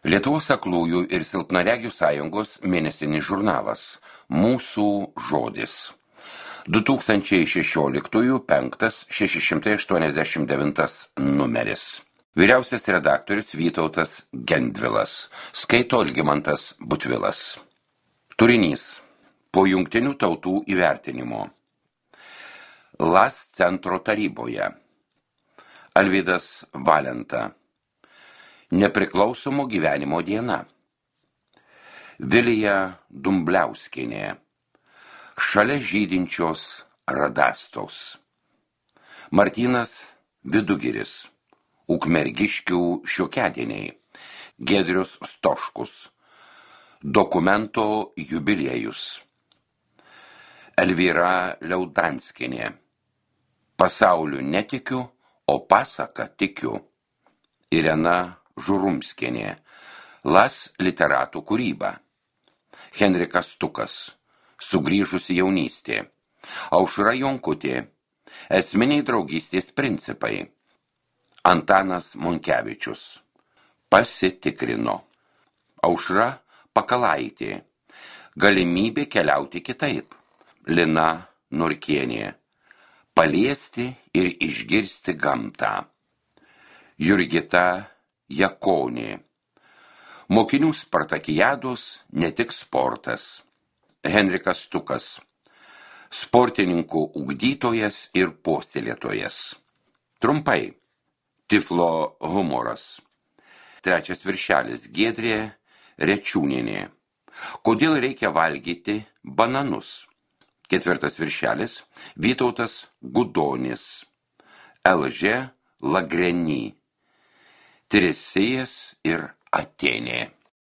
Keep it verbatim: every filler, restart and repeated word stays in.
Lietuvos aklųjų ir silpnaregių sąjungos mėnesinis žurnalas Mūsų žodis. du tūkstančiai šešioliktųjų penktas šeši šimtai aštuoniasdešimt devintas numeris. Vyriausias redaktorius Vytautas Gendvilas. Skaito Algimantas Butvilas. Turinys. Po Jungtinių tautų įvertinimo. Las centro taryboje. Alvydas Valenta. Nepriklausomo gyvenimo diena. Vilija Dumbliauskienė. Šalia žydinčios radastos. Martynas Vidugiris. Ukmergiškių šiokiadieniai. Giedrius Stoškus. Dokumento jubiliejus. Elvyra Liaudanskienė. Pasauliu netikiu, o pasaka tikiu. Irena Žurumskienė. Las literatų kūryba. Henrikas Stukas. Sugrįžusi jaunystė. Aušra Jonkutė. Esminiai draugystės principai. Antanas Monkevičius. Pasitikrino. Aušra Pakalaitė. Galimybė keliauti kitaip. Lina Norkienė. Paliesti ir išgirsti gamtą. Jurgita Jakonė. Mokinių spartakijados ne tik sportas. Henrikas Stukas. Sportininkų ugdytojas ir puoselėtojas. Trumpai. Tiflo humoras. Trečias viršelis. Giedrė Rečiūnienė. Kodėl reikia valgyti bananus? Ketvirtas viršelis. Vytautas Gudonis. Elžė Lagreny. Teresėjas ir Atėnė.